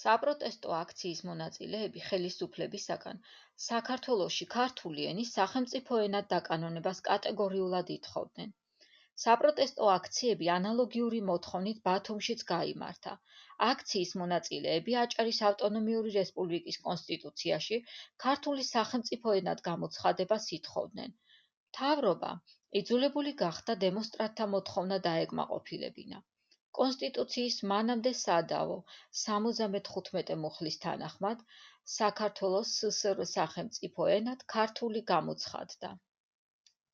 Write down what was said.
საპროტესტო აქციის მონაწილეები ხელისუფლებისაგან საქართველოში ქართული ენის სახელმწიფო ენად დაკანონებას კატეგორიულად ითხოვდნენ. საპროტესტო აქციები ანალოგიური მოთხოვნით ბათუმშიც გაიმართა. აქციის მონაწილეები აჭარის ავტონომიური რესპუბლიკის კონსტიტუციაში ქართული სახელმწიფო ენად გამოცხადებას ითხოვდნენ. მთავრობა იძულებული გახდა დემონსტრანტთა მოთხოვნა დაეკმაყოფილებინა. კონსტიტუციის მანამდე სადავო 75 მუხლის თანახმად საქართველოს სსრ სახელმწიფო ენად ქართული გამოცხადდა.